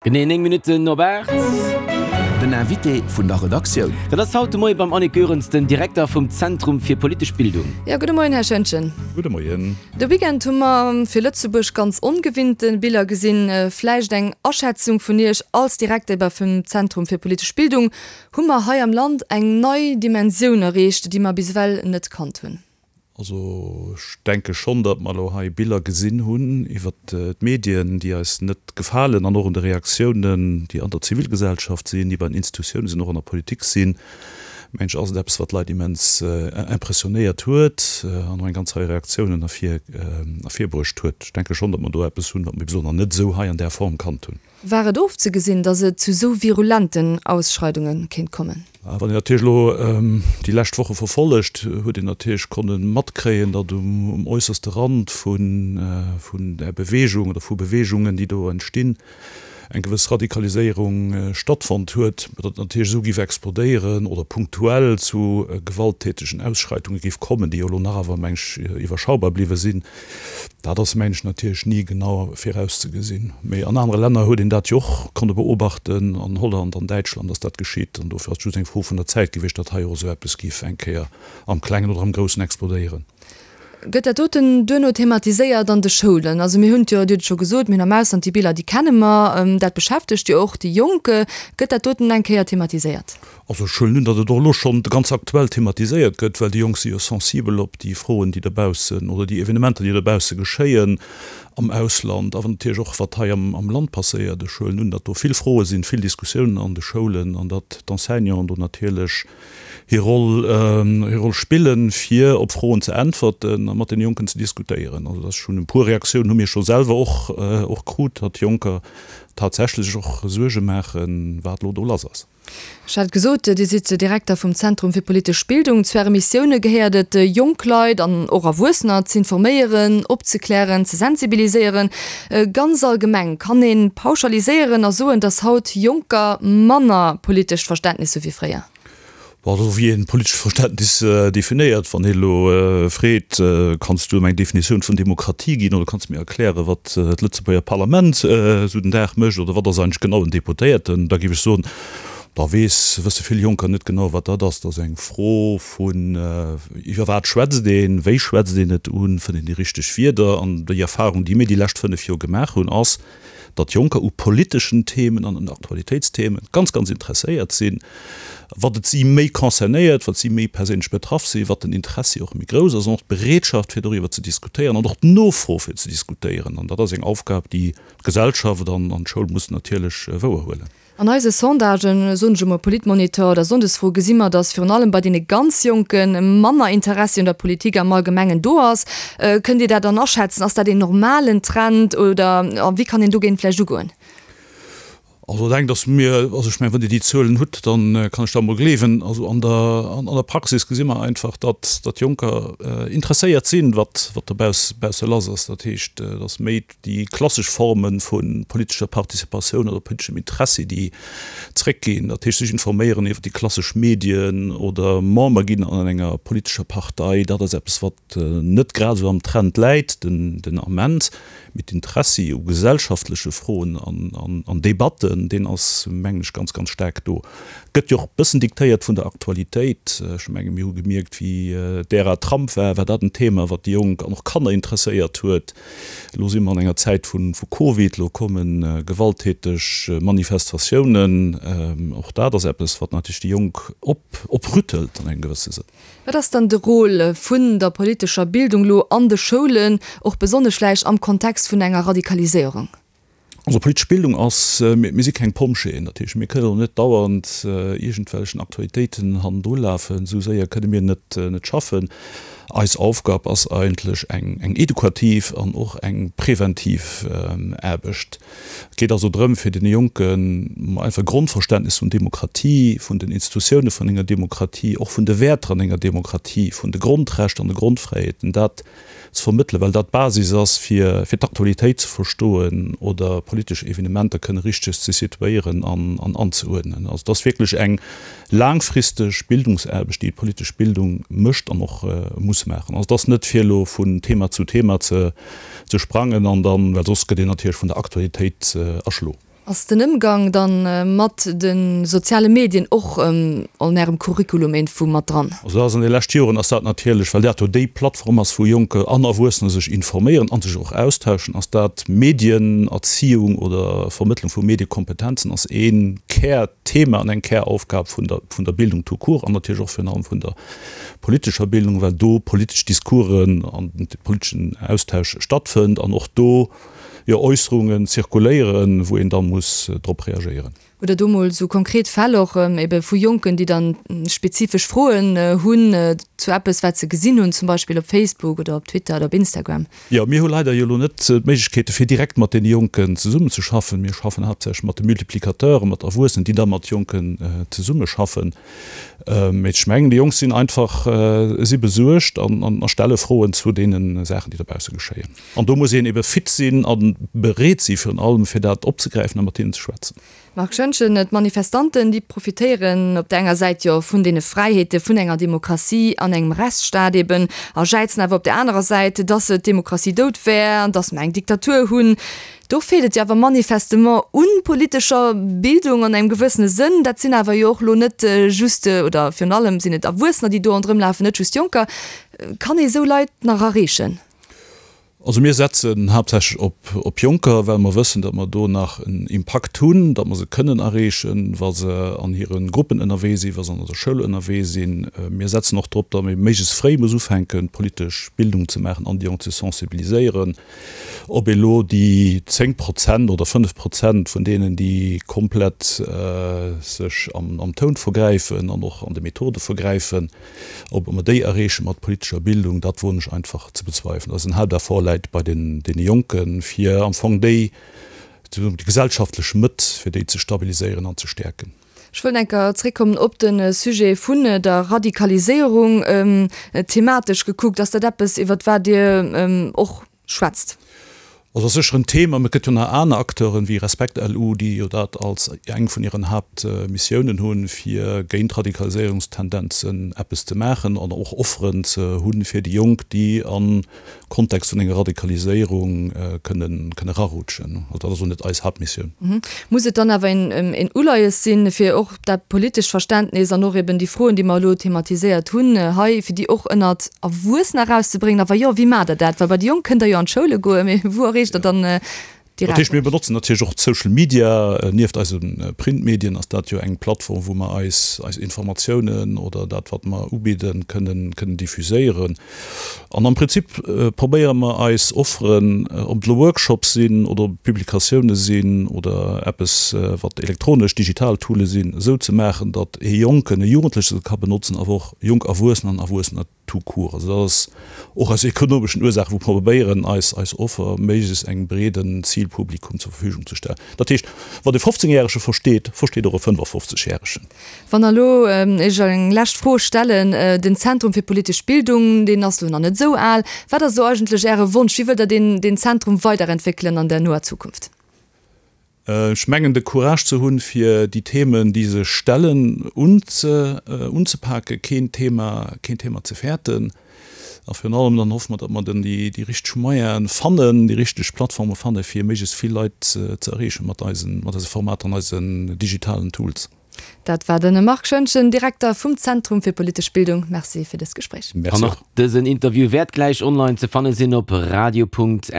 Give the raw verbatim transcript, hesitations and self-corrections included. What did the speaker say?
Genee néng Minutten op aacht. Den Invité vun der Redaktioun. Dat ass haut de Moie beim Annick Goerens, den Direkter vum Zentrum fir politesch Bildung. Jo, gudde Moien, Här Schoentgen. Gudde Moien. De Weekend hu mer fir Lëtzebuerg ganz ongewinnte Biller gesinn. Vläicht eng Aschätzung vun Iech als Direkter ebe vum Zentrum fir politesch Bildung, Hu mer hei am Land eng nei Dimensioun erreecht, déi mer bis ewell net kannt hunn? Also ech denke schonn, datt mer elo hei Biller gesinn hunn iwwert d'Medien, déi eis net gefalen, an och un de Reaktiounen, déi an der Zivilgesellschaft sinn, déi bei den Institutiounen sinn, och an der Politik sinn, mengen ech, ass et eppes, wat d'Leit immens impressionéiert huet an och eng ganz Rei Reaktiounen ervir ervirbruecht huet. Ech denke schonn, datt mer do eppes hunn, wat mer bis elo nach net esou hei an där Form kannt hunn. War et ofzegesinn, datt et zu esou virulenten Ausschreidunge kéint kommen? Wann een natierlech elo déi lescht Woche verfollegt, huet een natierlech konne matkréien, datt um äusserste Rand vun där Bewegung oder vu Beweegungen, déi do entstinn, eng gewëss Radikaliséierung stattfonnt huet. Datt et natierlech esou géif explodéieren oder punktuell zu gewalttätegen Ausschreitunge géif kommen, déi jo elo nach awer, meng ech, iwwerschaubar bliwwe sinn, Dat ass, mengen ech, natierlech ni genau virauszegesinn. Mee an anere Länner huet een dat jo och konne beobachten, an Holland, an Däitschland ass dat geschitt. An dofir ass et just eng Fro vun der Zäit gewiescht, datt hei och esou eppes géif eng Kéier am Klengen oder am Groussen explodéieren. Gëtt dat doten duerno thematiséiert an de Schoulen? Also mir hunn et jo, Dir hutt et scho gesot, mir hunn am Ausland déi Biller, déi kenne mer, dat beschäftegt jo och déi Jonk. Gëtt dat doten eng Kéier thematiséiert? Also ech huelen un, datt et och elo schonn ganz aktuell thematiséiert gëtt, well déi Jonk si jo sensibel op déi Froen, déi dobaussen oder déi Evenementer, déi dobausse geschéien am Ausland, awer natierlech och wat hei am Land passéiert. Ech huelen un, datt do vill Froe sinn, vill Diskussiounen an de Schoulen an datt d'Enseignanten do natierlech hir Roll, hir Roll spillen, fir op Froen ze äntwerten a mat deene Jonken ze diskutéieren. Also dat ass schonn, e puer Reaktiounen hu mir scho selwer och, och krut, datt Jonker tatsächlech och Suerge maachen, wat elo do lass ass. Ech hat gesot, Dir sidd Direkter vum Zentrum fir politesch Bildung. Zu Äre Missioune gehéiert et, jonk Leit an och Erwuessener z'informéieren, opzeklären, ze sensibiliséieren. Ganz allgemeng, kann ee pauschaliséieren a soen, datt haut Jonker manner politescht Verständnis hu wéi fréier? Bon, esou wéi een politescht Verständnis definéiert. Wann een elo freet, Kanns du em eng Definitioun vun Demokratie ginn oder kanns du mir erklären, wat d'Lëtzebuerger Parlament esou den Dag mécht oder wat ass eigentlech genau en Deputéierten, da géif ech soen, da weess, wësse vill Jonker net genau, wat dat ass. Dat ass eng Fro vun, iwwer wat schwätzt een, wéi schwätzt een et un, fënnt een déi richteg Wierder? An déi Erfahrung, déi mir déi lescht fënnef Joer gemaach hunn, ass, datt Jonker u politeschen Themen an un Aktualitéitsthemen ganz, ganz interesséiert sinn. Wat et si méi concernéiert, wat si méi perséinlech betraff sinn, wat den Interessi och méi grouss ass an och d'Bereetschaft fir doriwwer ze diskutéieren an och d'Nofro fir ze diskutéieren. An dat ass eng Aufgab, déi d'Gesellschaft an d'Schoul mussen natierlech wouerhuelen. An eise Sondagen, soen ech emol Politmonitor oder Sonndesfro, gesi mer, datt virun allem bei deene ganz Jonke manner Interessi un der Politik am Allgemengen do ass. Kënnt Dir dat dann aschätzen? Ass dat een normalen Trend oder wéi kann een dogéint vläicht ugoen? Also dat engt ass mir, also ech mengen, wann Dir déi Zuelen hutt, da kann ech dat emol gleewen. Also an der an der Praxis gesi mer einfach, datt datt Jonker interesséiert sinn, wat wat dobausse lass ass. Dat heescht, et ass méi déi klassesch Forme vu politescher Participatioun oder politeschem Interessi, déi zréckginn, dat heescht sech informéieren iwwer déi klassesch Medien oder Member ginn an enger politescher Partei, dat ass eppes, wat net grad esou am Trend läit den Ament. Mee d'Interessi u gesellschaftleche Froen an Debatten, deen ass, mengen ech, ganz, ganz staark do. Gëtt jo och e bëssen diktéiert vun der Aktualitéit. Ech menge mir hu gemierkt, wéi d'Ära Trump war, war dat en Thema, wat déi Jonk an och Kanner interesséiert huet. Elo si mer an enger Zäit vu Covid, elo komme gewalttäteg Manifestatiounen. Och dat ass eppes, wat natierlech déi Jonk oprüttelt an engem gewësse Sënn. Wat ass dann de Rôle vun der politescher Bildung elo an de Schoulen, och besonnesch vläicht am Kontext vun enger Radikaliséierung? Also politesch Bildung ass, mir si keng Pompjeeën, dat heescht mir kënnen och net dauernd iergendwellechen Aktualitéiten hannendru lafen, esou séier kënne mir net net schaffen. Eis Aufgab ass eigentlech eng eng edukativ an och eng preventiv Aarbecht. Et geet also drëm fir deene Jonken einfach e Grondverständnis vun Demokratie, vun den Institutioune vun enger Demokratie, och vun de Wäerter an enger Demokratie, vun de Grondrechter an de Grondfräiheeten, dat ze vermëttelen, well dat d'Basis ass, fir fir d'Aktualitéit ze verstoen oder politesch Evenementer kënne richteg ze situéieren an an anzeuerdnen. Also et ass wierklech eng laangfristeg Bildungsaarbecht, déi d'politesch Bildung mécht an och muss maachen. Also et ass net fir elo vun Thema zu Thema ze ze sprangen an dann, well soss gëtt een natierlech vun der Aktualitéit erschlo. Ass den Ëmgang dann mat de soziale Medien och an Ärem Curriculum iergendwou mat dran? Also dat ass an de leschte Joren ass dat natierlech, well dat jo déi Plattform ass, wou Jonker an Erwuessener sech informéieren an sech och austauschen, ass dat Medienerziehung oder Vermëttlung vu Mediekompetenzen ass ee Kärthema an eng Käraufgab vun der vun der Bildung tout court an natierlech och virun allem vun der politescher Bildung, well do politesch Discoursen an de politeschen Austausch stattfënnt an och do jo Äusserungen zirkuléieren, wou een da muss drop reagéieren. Hutt Der do mol esou konkret Fäll och ebe vu Jonken, déi dann spezifesch Froen hunn zu eppes, wat se gesinn hunn, zum Beispill op Facebook oder op Twitter oder op Instagram? Jo, mir hu leider jo elo net d'Méiglechkeete fir direkt mat deene Jonken zesummenzeschaffen. Mir schaffen haaptsächlech mat de Multiplicateuren, mat Erwuessenen, déi da mat Jonken zesummeschaffen. Mee ech mengen, déi Jonk sinn einfach, si besuergt an a stelle Froen zu deene Saachen, déi dobausse geschéien. An do muss een ebe fit sinn a bereet si virun allem, fir dat opzegräifen a mat hinnen ze schwätzen. Marc Schoentgen, D'Manifestanten, déi profitéieren op der enger Säit jo vun deene Fräiheete vun enger Demokratie an engem Rechtsstaat eben a jäizen awer op der anerer Säit, dass d'Demokratie dout wär an dass mer eng Diktatur hunn. Do feelt et jo awer manifestement un politescher Bildung an engem gewëssene Sënn. Dat sinn awer jo och elo net just, oder virun allem sinn et Erwuessener, déi do ronderëm lafen, net just Jonker. Kann ee sou Leit nach erreechen? Also mir setzen haaptsächlech op op Jonker, well mer wëssen, datt mer do nach en Impakt hunn, datt mer se kënnen erreechen, wa se an hire Gruppen ënnerwee sinn, wa se an der Schoul ënnerwee sinn. Mir setzen och drop, datt ee méiglechst fréi muss ufänken, politesch Bildung ze maachen an déi Jonk ze sensibiliséieren. Ob elo déi zéng Prozent oder fënnef Prozent vun deenen, déi komplett sech am am Toun vergräifen an och an de Methode vergräifen, ob mer déi erreeche mat politescher Bildung, dat woen ech einfach ze bezweifelen. Dat ass en Haapteffort läit bei den deene Jonken, fir am Fong déi, déi gesellschaftlech Mëtt, fir déi ze stabiliséieren an ze stäerken. Ech wëll eng Kéier zréckkommen op de Sujet vun der Radikaliséierung. Thematesch gekuckt, ass dat eppes, iwwert wat Dir och schwätzt? Also ass sécher en Thema, mä et gëtt jo nach aner Acteuren, wéi Respekt-LU, déi jo dat als eng vun hiren Haaptmissiounen hunn, fir géint Radikaliséierungstendenzen eppes ze maachen an och Offeren ze hunn fir déi Jonk, déi am Kontext vun enger Radikaliséierung kënnen kënne erarutschen. Also dat ass och net eis Haaptmissioun. Muss et dann awer een Uleies sinn, fir och dat politescht Verständnis an och eben déi Froen, déi mer elo thematiséiert hunn hei, fir déi och ënnert Erwuessener erauszebréngen? A wa jo, wéi maacht Der dat? Well bei déi Jonk kënnt Der jo an d'Schoule goen, mee wou erreecht Der dann déi Dat heescht, mir benotzen natierlech och d'Social Media. Nieft eise Printmedien ass dat jo eng Plattform, wou mer eis eis Informatiounen oder dat, wat mer ubidden, kënnen kënnen diffuséieren. An am Prinzip probéiere mer eis Offeren, ob et elo Workshops sinn oder ob et Publikatioune sinn oder eppes, wat elektronesch, digital Toole sinn, esou ze maachen, datt ee Jonken, e Jugendleche se ka benotzen, awer och jonk Erwuessener an Erwuessener tout court. Also dat ass och aus ekonomeschen Ursaachen, wou mer probéieren, eis eis Offer méiglechst engem breeden Zilpublikum zur Verfügung ze stellen. Dat heescht, wat e fofzéngjärege versteet, versteet och e fënnefafofzegjäregen. Wann elo ech eng lescht Fro stellen, Den Zentrum fir politesch Bildung, deen ass elo nach net esou al. Wat ass elo eigentlech Äre Wonsch? Wéi wëllt Der deen deen Zentrum weiderentwéckelen an der noer Zukunft? Ech mengen, de Courage ze hunn, fir déi Themen, déi sech stellen, unzepaken, keen Thema, keen Thema ze fäerten. A virun allem dann hoffe mer, datt mer dann déi richteg Moyene fannen, déi richteg Plattforme fannen, fir méiglechst vill Leit ze erreechen mat eisen, mat eise Formater an eisen digitalen Tools. Dat war de Marc Schoentgen, Direkter vum Zentrum fir politesch Bildung. Merci fir dëst Gespréich. An och dësen Interview wäert gläich online ze fanne sinn op radio.rtl.lu.